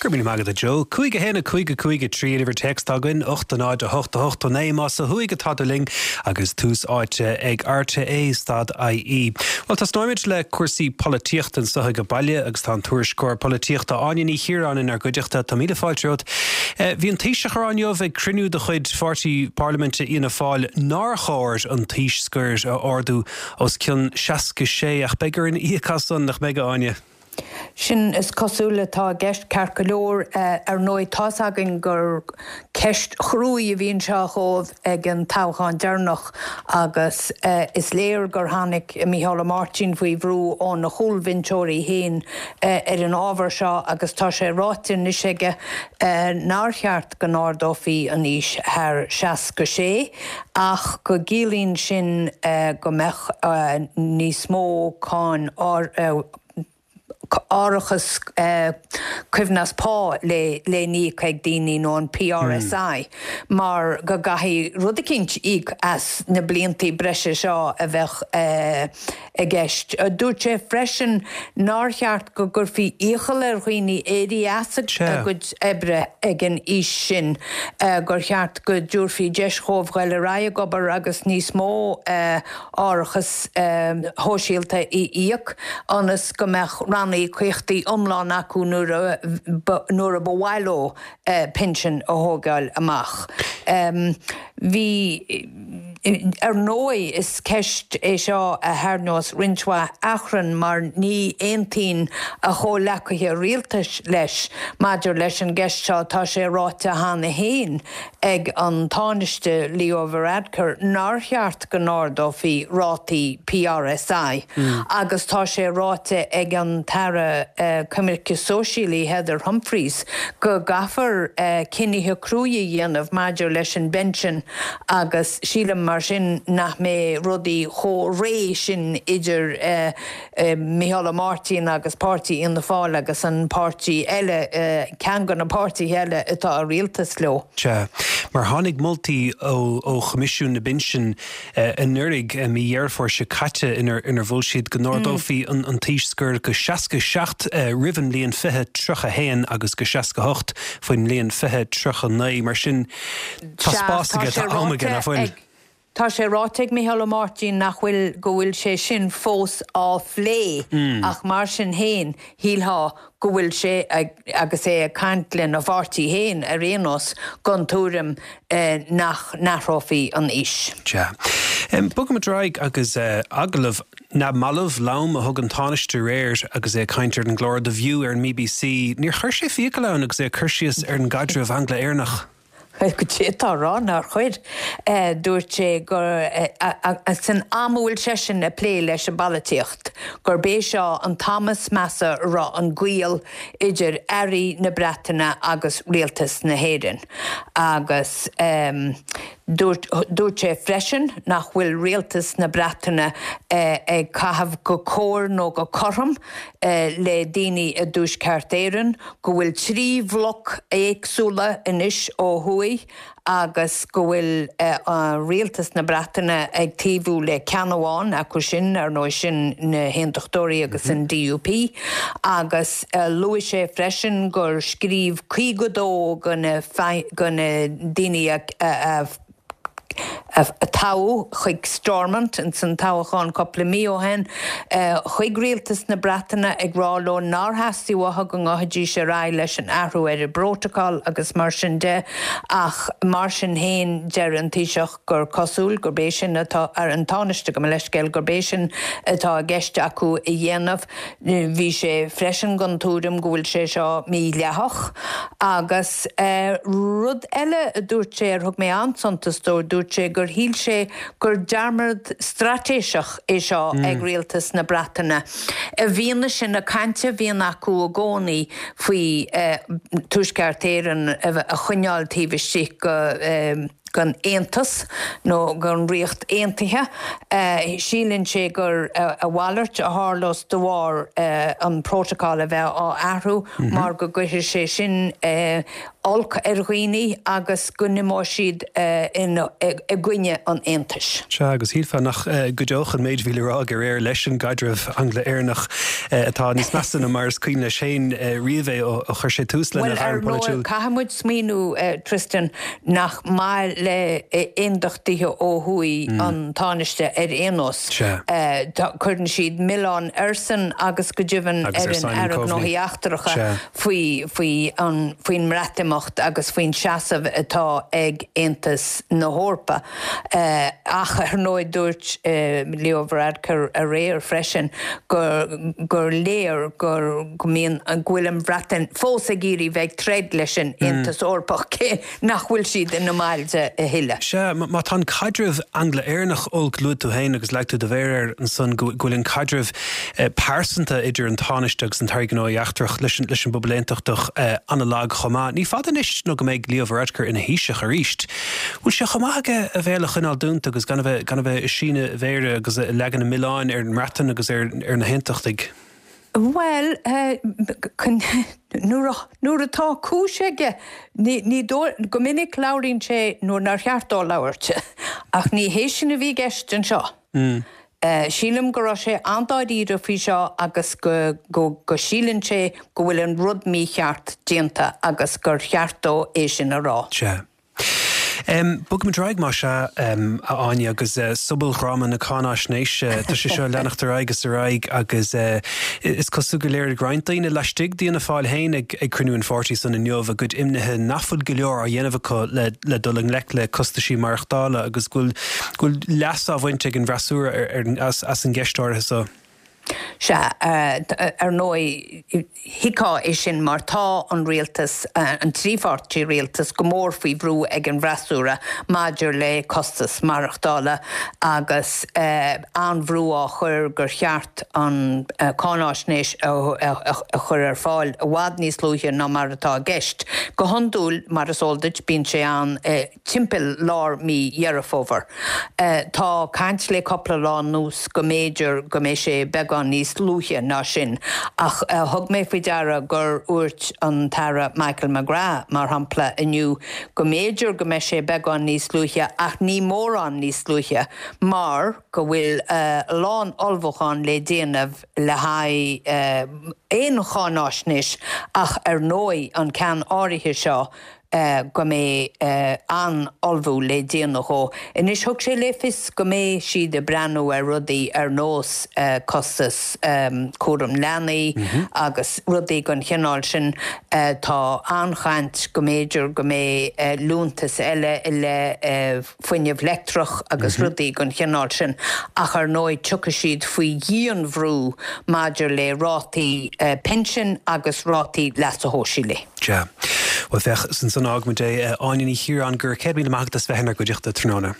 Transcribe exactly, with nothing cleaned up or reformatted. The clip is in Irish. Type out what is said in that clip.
Go raibh míle maith agat a Joe. Cúig a haon a cúig a cúig a trí an uimhir téacs atá againn, ocht a náid a hocht a hocht a naoi más ó thuaidh atá tú linn agus tús áite ag RTÉ stad IE. Well tosnóimid le cúrsaí polaitíochta anseo ag baile agus tá an tuairisceoir polaitíochta Áine Ní Chiaráin inár gcuideachta tá míle fáilte romhat. Eh, bhí an Taoiseach ag rá inniu ag cruinniú de chuid pháirtí parlaiminte Fhianna Fáil nár chóir an t-aois scoir a ardú os cionn seasca sé ach beidh orainn íoc as san nach mbeidh Áine. Sin is cosúil atá i gceist ceart go leor eh, ar ndóigh tá's againn gur ceist chruaidh a bhí anseo dhóibh ag an toghchán deireanach agus eh, is léir gur tháinig Micheál Ó Máirtín faoi bhrú óna chúlbhinseoirí féin eh, ar an ábhar seo agus tá sé ráite anois aige nár cheart go n-ardófaí an aois thar seasca sé ach go gciallaíonn sin go mbeadh níos mó cáin árachas eh, coibhneas pá le le n-íoc ag daoine nó an PRSI mm. mar go gcaithfidh rud eicínt íoc as na blianta breise seo a bheith eh, i gceist. Dúirt sé freisin nár cheart go gcuirfí iachall ar dhaoine éirí as a gcuid oibre ag an aois sin eh, gur cheart go dtabharfaí deis dhóibh dul ar aghaidh ag obair agus níos mó eh, árachas eh, shóisialta a íoc ionas go mbeadh ranníocaíochtaí iomlán acu nuair nuair a ba mhaith leo eh, pinsean a thógáil amach. Um, Bhí ar ndóigh is ceist é seo a tharraingeos roinnt mhaith achrann mar ní aontaíonn a chomhleacaithe rialtais leis maidir leis an gceist seo tá sé ráite cheana féin ag an Tánaiste Leo Varadkar nár cheart go n-ardófaí rátaí PRSI mm. agus tá sé ráite ag an tAire uh, Coimirce Sóisialaí Heather Humphreys go gcaithfear uh, cinntí crua a dhéanamh maidir leis an bpension agus sílim mar sin nach mbeidh rudaí chomh réidh sin idir uh, uh, Micheál Ó Máirtín agus páirtí Fhianna Fáil agus an páirtí eile uh, ceann de na páirtithe eile atá i rialtas leo. Sea, mar tháinig moltaí ó ó Choimisiún na bPinsean uh, anuraidh uh, mí Dheireadh Fómhair seo caite inar inar mhol siad go n-ardófaí mm. an, an t-aois scoir go seasca seacht uh, roimh an mbliain fiche tríocha haon agus go seasca hocht faoin mbliain fiche tríocha naoi mar sin tá spás aige tá am aige nach bhfuil. Tá sé ráite ag Micheál Ó Máirtín nach bhfuil go bhfuil sé sin fós á phlé mm. ach mar sin féin shílfeá go bhfuil sé agus é ag caint lena pháirtí féin ar aon nós den tuairim eh, nach n-athrófaí an aois. Ja. Um, Bogaimid ar aghaidh agus uh, agallamh na mallaibh lom a thug an Tánaiste aréir agus é ag caint ar an gclár The View ar an BBC, Níor chuir sé fiacail ann agus é ag cur síos ar an gcaidreamh Angla-Éireannach. Go tá rá nár chuir eh, dúirt sé gur eh, san am a bhfuil seisean ag plé leis an bpolaitíocht, gurb é seo an t-am is measa a raibh an gaol idir airí na Breataine agus rialtas na hÉireann. Agus um, dúirt sé freisin nach bhfuil rialtas na Breataine eh, ag caitheamh go cóir nó go cothrom eh, le daoine i dTuaisceart Éireann, go bhfuil trí bhloc éagsúla anois ó thuaidh agus go bhfuil eh, rialtas na Breataine ag taobhú le ceann amháin acu sin ar ndóigh sin na hAontachtóirí agus an DUP, agus uh, luaigh sé freisin gur scríobh caoga dó de na daoine a, a, a a toghadh chuig Stormont in san toghchán cúpla mí ó shin chuig rialtas na Breataine ag rá leo nár theastaigh uathu go ngabhfaidís ar aghaidh leis an athrú ar an bprótacal agus mar sin de ach mar sin féin deir an Taoiseach gur cosúil gurb é sin atá ar an Tánaiste go leiscéil gurb é sin atá i gceist acu a dhéanamh bhí sé freisin den tuairim go bhfuil sé seo mídhleathach agus uh, rud eile a dúirt sé ar thug mé an-suntas dó dúirt sé gur shíl sé gur dearmad straitéiseach é seo mm. ag rialtas na Breataine. I bhfianaise na cainte a bhíonn acu i gcónaí faoi eh, Tuaisceart Éireann a choinneáil taobh istigh go eh, den Aontas nó den Ríocht Aontaithe. Síleann sé gur a mhalairt a tharlós de bharr an protocol a bheith á athrú mar go gcuirfidh sé sin olc ar dhaoine agus go n-imeoidh siad i gcoinne an Aontais. Sea, agus shílfeá nach gcuideodh an méid a bhí le rá aige aréir leis an gcaidreamh Angla-Éireannach atá níos measa ná mar is cuimhin leis féin riamh é ó chuir sé tús lena ghairm pholaitiúil. Bhuel, ar ndóigh, caithfidh muid smaoineamh, Tristan, nach maith le aondachtaithe ó thuaidh an Tánaiste ar aon nós. Cuireann siad milleán airsean agus go deimhin ar an Aire Gnóthaí Eachtracha faoi faoin mBreatimeacht agus faoin seasamh atá ag Aontas na hEorpa. Ach ar ndóigh dúirt Leo Varadkar aréir freisin gur léir go mbíonn go bhfuil an Bhreatain fós ag iarraidh bheith ag troid leis an Aontas Eorpach cé nach bhfuil siad ina mbaill de a thuilleadh. Sea, má tá an caidreamh Angla-Éireannach olc, luaigh tú féin agus leag tú do mhéar air ansan go bhfuil an caidreamh pearsanta idir an Tánaiste agus an tAire Gnóthaí Eachtrach leis an bpobal aontachtach an-lag chomh maith. Ní fada anois nó go mbeidh Leo Varadkar ina Thaoiseach arís. Bhfuil sé chomh maith aige a bhéal a choinneáil dúnta agus gan a bheith gan a bheith ag síneadh a mhéire agus ag leagan an mhilleáin ar an mBreatain agus ar ar na haontachtaigh? Bhuel, nuair atá cúis aige, ní dóigh, go minic labhraíonn sé nuair nár cheart dó labhairt, ach ní hé sin a bhí i gceist anseo. Sílim go raibh sé an-dáiríre faoi seo agus go go síleann sé go bhfuil an rud mícheart déanta agus gur cheart dó é sin a rá. Sea. Bogfaimid ar aghaidh, más ea, a Áine, agus sobaldhráma na cáináisnéise, tá sé seo ag leanacht ar aghaidh is ar aghaidh agus is cosúil gur léirigh roinnt daoine laistigh d'Fhianna Fáil féin ag cruinniú an pháirtí san inniu a gcuid imnithe nach bhfuil go leor á dhéanamh acu le dul i ngleic le costaisí maireachtála agus go bhfuil leas á bhaint ag an bhfreasúra as an gceist áirithe seo. Sea, ar ndóigh, thuigfeá é sin mar tá an rialtas, an trí pháirtí rialtas, go mór faoi bhrú ag an bhfreasúra maidir le costas maireachtála agus an-bhrú á chur gur cheart an cháinaisnéis a chur ar fáil i bhfad níos luaithe ná mar atá i gceist. Go hiondúil, mar is eol duit, bíonn sé ann timpeall lár mí Dheireadh Fómhair. Tá caint le cúpla lá anuas go mb'fhéidir go mbeidh sé beagán níos luaithe ná sin, ach thug mé faoi deara gur dhúirt an tAire Michael McGrath, mar shampla, inniu go mb'fhéidir go mbeidh sé beagán níos luaithe ach ní mórán níos luaithe mar go bhfuil a lán ullmhúchán le déanamh le haghaidh aon cháinaisnéis ach ar ndóigh an ceann áirithe seo go mbeidh an-ullmhú le déanamh dhó. Anois thug sé le fios go mbeidh siad ag breathnú ar rudaí ar nós costas cúram leanaí agus rudaí den chineál sin. Tá an-chaint go mb'fhéidir go mbeidh liúntas eile i leith fuinneamh leictreach agus rudaí den chineál sin ach ar ndóigh tiocfaidh siad faoi dhian-bhrú maidir le rátaí pinsin agus rátaí leasa shóisialaigh. Sea. Bhuel, féach, is ansan a fhágfaimid é. Áine Ní Chiaráin, go raibh céad míle maith agat as bheith inár gcuideachta tráthnóna.